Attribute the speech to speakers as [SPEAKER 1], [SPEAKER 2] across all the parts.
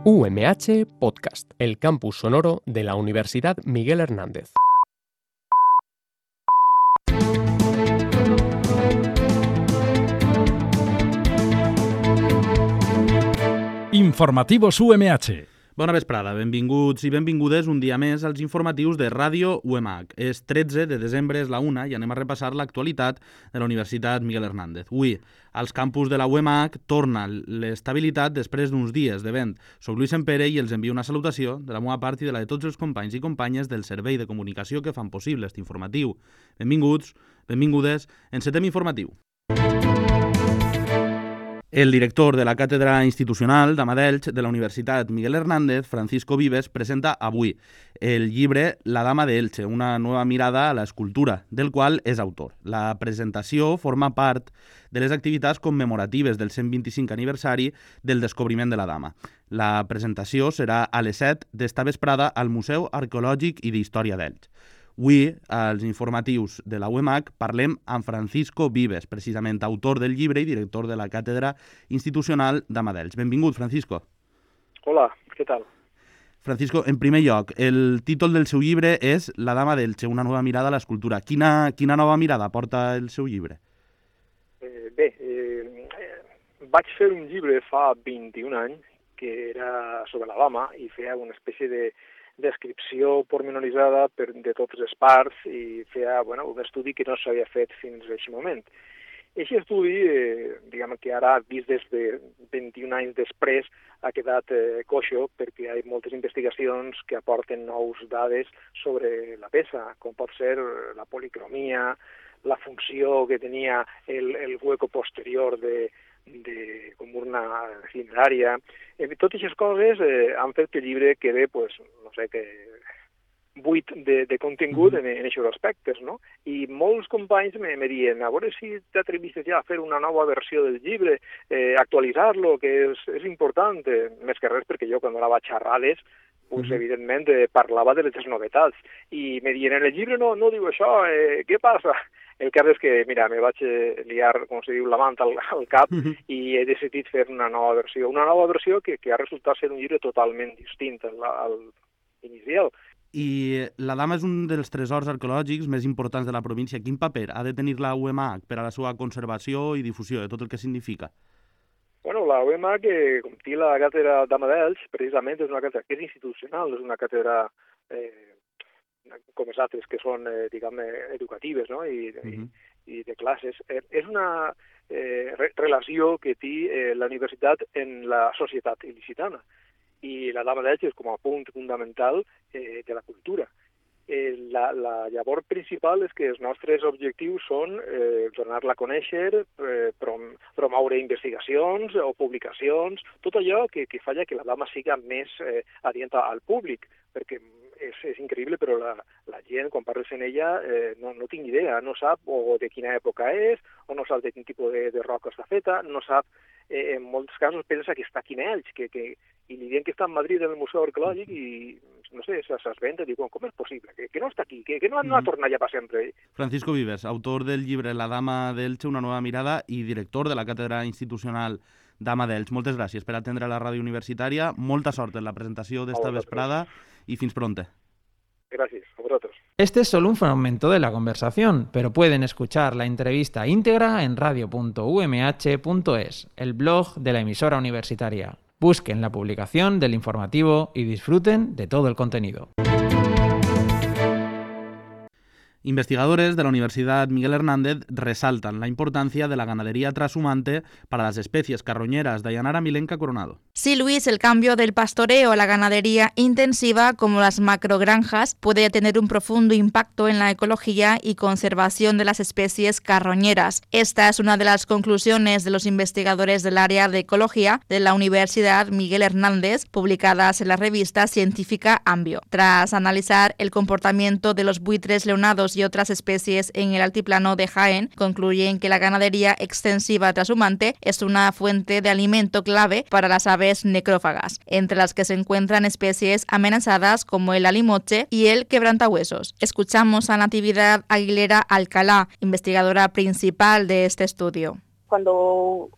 [SPEAKER 1] UMH Podcast, el campus sonoro de la Universidad Miguel Hernández.
[SPEAKER 2] Informativos UMH.
[SPEAKER 3] Bona vesprada, benvinguts i benvingudes un dia més als informatius de Ràdio UMH. És 13 de desembre, és la 1, i anem a repassar l'actualitat de la Universitat Miguel Hernández. Avui, als campus de la UMH torna l'estabilitat després d'uns dies de vent. Soc Lluís Sempere i els envio una salutació de la meva part i de la de tots els companys i companyes del servei de comunicació que fan possible aquest informatiu. Benvinguts, benvingudes, encetem informatiu. El director de la Càtedra Institucional d'Elx de la Universitat Miguel Hernández, Francisco Vives, presenta avui el llibre La Dama d'Elche, una nova mirada a l'escultura, del qual és autor. La presentació forma part de les activitats commemoratives del 125 aniversari del descobriment de la dama. La presentació serà a les 7 d'esta vesprada al Museu Arqueològic i d'Història d'Elx. Avui, als informatius de la UMH, parlem amb Francisco Vives, precisament autor del llibre i director de la Càtedra Institucional d'Elx. Benvingut, Francisco.
[SPEAKER 4] Hola, què tal?
[SPEAKER 3] Francisco, en primer lloc, el títol del seu llibre és La Dama d'Elche, una nova mirada a l'escultura. Quina nova mirada porta el seu llibre?
[SPEAKER 4] Vaig fer un llibre fa 21 anys que era sobre la dama i feia una espècie de descripció pormenoritzada de totes les parts i feia un estudi que no s'havia fet fins a aquest moment. Aquest estudi, diguem que ara, vist des de 21 anys després, ha quedat coixo perquè hi ha moltes investigacions que aporten nous dades sobre la peça, com pot ser la policromia, la funció que tenia el hueco posterior com una cinerària. Totes aquestes coses han fet que el llibre quede, buit de contingut en aquests aspectes, no? I molts companys me diuen, a veure si t'atrevistes ja a fer una nova versió del llibre, actualitzar-lo, que és important, més que res perquè jo quan anava a xerrades, evidentment parlava de les novetats, i me diuen, en el llibre no diu això, què passa? El cas és que, mira, me vaig liar, com se diu, la manta al cap i he decidit fer una nova versió que ha resultat ser un llibre totalment distint al inicial.
[SPEAKER 3] I la dama és un dels tresors arqueològics més importants de la província. Quin paper ha de tenir la UMH per a la seva conservació i difusió, de tot el que significa?
[SPEAKER 4] La UMH, com té la càtedra d'Elx, precisament és una càtedra que és institucional, és una càtedra com les altres que són, educatives, no? I de classes. És una relació que té la universitat en la societat il·licitana. I la dama d'Elx és com a punt fundamental de la cultura. La llavor principal és que els nostres objectius són donar-la a conèixer, promoure investigacions o publicacions, tot allò que falla que la dama siga més adient al públic, perquè és increïble, però la gent, quan parles en ella, no tinc idea, no sap o de quina època és, o no sap de quin tipus de roca està feta, no sap, en molts casos pensa que està aquí en Elx, i li diuen que està a Madrid en el Museu Arqueològic i, no sé, s'esventa i diuen, com és possible? Que no està aquí, que no ha tornat ja per sempre.
[SPEAKER 3] Francisco Vives, autor del llibre La Dama d'Elche, una nova mirada i director de la Càtedra Institucional d'Elx. Moltes gràcies per atendre la ràdio universitària, molta sort en la presentació d'esta vesprada y fins pronto.
[SPEAKER 4] Gracias, a vosotros.
[SPEAKER 5] Este es solo un fragmento de la conversación, pero pueden escuchar la entrevista íntegra en radio.umh.es, el blog de la emisora universitaria. Busquen la publicación del informativo y disfruten de todo el contenido.
[SPEAKER 3] Investigadores de la Universidad Miguel Hernández resaltan la importancia de la ganadería trashumante para las especies carroñeras. Dayanara Milenka Coronado.
[SPEAKER 6] Sí, Luis, el cambio del pastoreo a la ganadería intensiva, como las macrogranjas, puede tener un profundo impacto en la ecología y conservación de las especies carroñeras. Esta es una de las conclusiones de los investigadores del área de ecología de la Universidad Miguel Hernández, publicadas en la revista científica Ambio. Tras analizar el comportamiento de los buitres leonados y otras especies en el altiplano de Jaén, concluyen que la ganadería extensiva trashumante es una fuente de alimento clave para las aves necrófagas, entre las que se encuentran especies amenazadas como el alimoche y el quebrantahuesos. Escuchamos a Natividad Aguilera Alcalá, investigadora principal de este estudio.
[SPEAKER 7] Cuando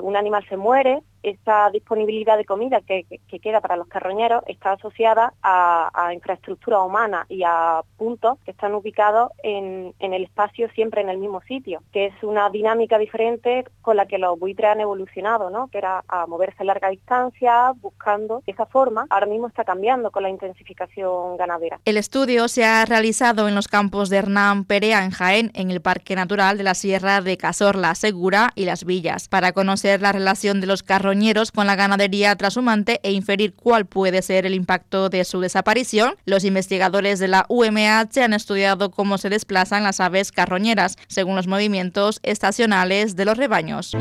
[SPEAKER 7] un animal se muere,
[SPEAKER 2] esa disponibilidad de comida que queda para los carroñeros está asociada a infraestructura humana y a puntos que están ubicados en el espacio, siempre en el mismo sitio, que es una dinámica diferente con la que los buitres han evolucionado, ¿no? Que era a moverse a larga distancia, buscando esa forma. Ahora mismo está cambiando con la intensificación ganadera.
[SPEAKER 6] El estudio se ha realizado en los campos de Hernán Perea, en Jaén, en el Parque Natural de la Sierra de Cazorla, Segura y Las Villas, para conocer la relación de los carroñeros con la ganadería trashumante e inferir cuál puede ser el impacto de su desaparición. Los investigadores de la UMH han estudiado cómo se desplazan las aves carroñeras según los movimientos estacionales de los rebaños.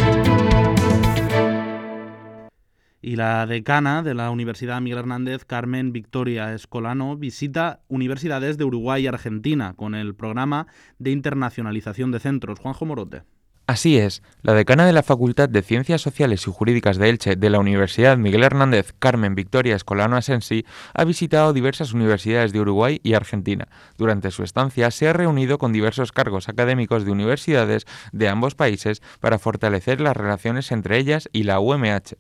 [SPEAKER 3] Y la decana de la Universidad Miguel Hernández, Carmen Victoria Escolano, visita universidades de Uruguay y Argentina con el programa de internacionalización de centros. Juanjo Morote.
[SPEAKER 7] Así es, la decana de la Facultad de Ciencias Sociales y Jurídicas de Elche de la Universidad Miguel Hernández, Carmen Victoria Escolano Asensi, ha visitado diversas universidades de Uruguay y Argentina. Durante su estancia se ha reunido con diversos cargos académicos de universidades de ambos países para fortalecer las relaciones entre ellas y la UMH.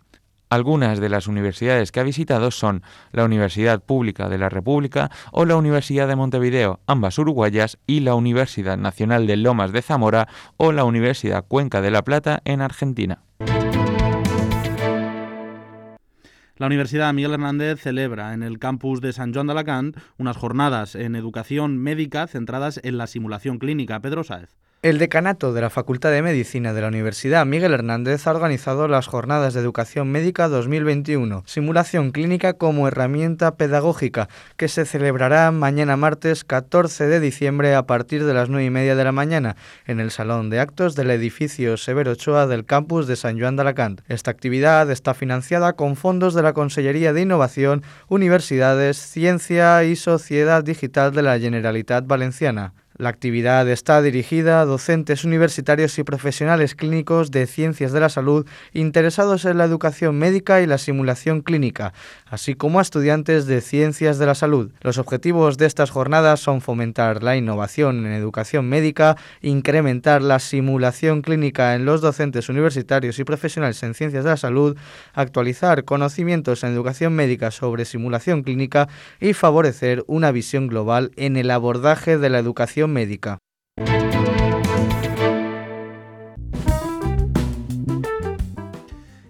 [SPEAKER 7] Algunas de las universidades que ha visitado son la Universidad Pública de la República o la Universidad de Montevideo, ambas uruguayas, y la Universidad Nacional de Lomas de Zamora o la Universidad Cuenca de La Plata en Argentina.
[SPEAKER 3] La Universidad Miguel Hernández celebra en el campus de Sant Joan d'Alacant unas jornadas en educación médica centradas en la simulación clínica. Pedro Sáez.
[SPEAKER 8] El decanato de la Facultad de Medicina de la Universidad Miguel Hernández ha organizado las Jornadas de Educación Médica 2021, simulación clínica como herramienta pedagógica, que se celebrará mañana martes 14 de diciembre a partir de las 9:30 de la mañana en el Salón de Actos del edificio Severo Ochoa del campus de Sant Joan d'Alacant. Esta actividad está financiada con fondos de la Consellería de Innovación, Universidades, Ciencia y Sociedad Digital de la Generalitat Valenciana. La actividad está dirigida a docentes universitarios y profesionales clínicos de ciencias de la salud interesados en la educación médica y la simulación clínica, así como a estudiantes de ciencias de la salud. Los objetivos de estas jornadas son fomentar la innovación en educación médica, incrementar la simulación clínica en los docentes universitarios y profesionales en ciencias de la salud, actualizar conocimientos en educación médica sobre simulación clínica y favorecer una visión global en el abordaje de la educación médica.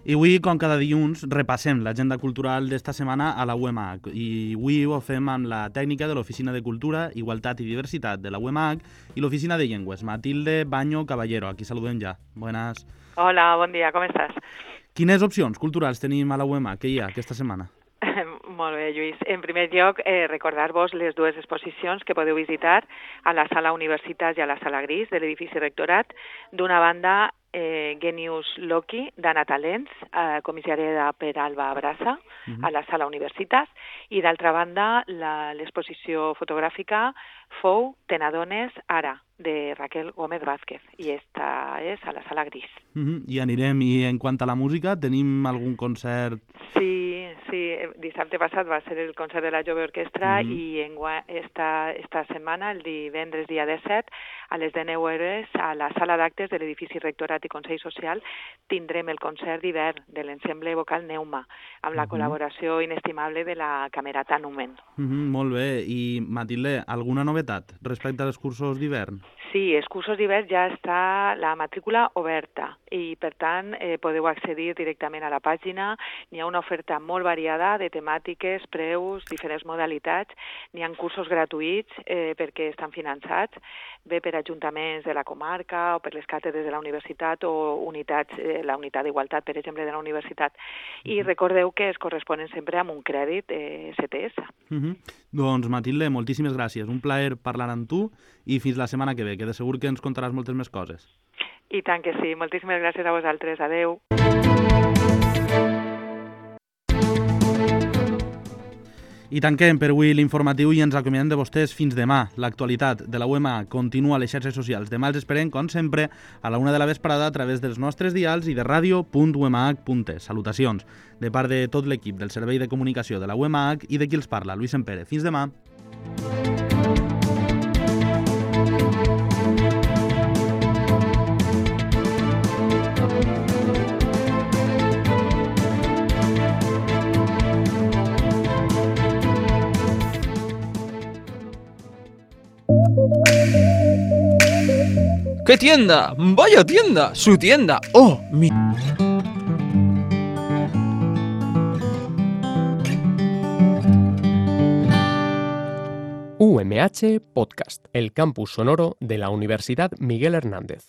[SPEAKER 3] I avui, com cada dilluns, repassem l'agenda cultural d'esta setmana a la UMH. I avui ho fem amb la tècnica de l'Oficina de Cultura, Igualtat i Diversitat de la UMH i l'Oficina de Llengües, Matilde Baño Caballero. Aquí saludem ja. Buenas.
[SPEAKER 9] Hola, bon dia, com estàs?
[SPEAKER 3] Quines opcions culturals tenim a la UMH? Què hi ha aquesta setmana?
[SPEAKER 9] Molt bé, Lluís. En primer lloc, recordar-vos les dues exposicions que podeu visitar a la Sala Universitas i a la Sala Gris de l'edifici Rectorat. D'una banda, Genius Loki, d'Anna Talents, comissariada per Alba Brassa, a la Sala Universitas, i d'altra banda, l'exposició fotogràfica Fou, te n'adones ara, de Raquel Gómez Vázquez, i esta és a la Sala Gris.
[SPEAKER 3] I anirem, i en quant a la música, tenim algun concert?
[SPEAKER 9] Sí, dissabte passat va ser el concert de la Jove Orquestra i esta setmana, el divendres dia 17, a les 19 hores, a la sala d'actes de l'edifici Rectorat i Consell Social, tindrem el concert d'hivern de l'ensemble vocal Neuma, amb la col·laboració inestimable de la Camerata Numen.
[SPEAKER 3] Molt bé. I, Matilde, alguna novetat respecte als cursos d'hivern?
[SPEAKER 9] Sí, els cursos d'hivern ja està la matrícula oberta i, per tant, podeu accedir directament a la pàgina. N'hi ha una oferta molt variada de temàtiques, preus, diferents modalitats. N'hi ha cursos gratuïts perquè estan finançats, bé per ajuntaments de la comarca o per les càtedres de la universitat o unitats, la unitat d'igualtat, per exemple, de la universitat. I recordeu que es corresponen sempre amb un crèdit STS.
[SPEAKER 3] Doncs, Matilde, moltíssimes gràcies. Un plaer parlar amb tu i fins la setmana que ve, que de segur que ens contaràs moltes més coses.
[SPEAKER 9] I tant que sí. Moltíssimes gràcies a vosaltres. Adeu.
[SPEAKER 3] I tanquem per avui l'informatiu i ens acomiadem de vostès fins demà. L'actualitat de la UMH continua a les xarxes socials. Demà els esperem, com sempre, a la 1 de la vesprada a través dels nostres dials i de radio.umh.es. Salutacions de part de tot l'equip del Servei de Comunicació de la UMH i de qui els parla, Lluís Sempere. Fins demà.
[SPEAKER 10] ¿Qué tienda? ¡Vaya tienda! ¡Su tienda! ¡Oh, mi...
[SPEAKER 1] UMH Podcast, el campus sonoro de la Universidad Miguel Hernández.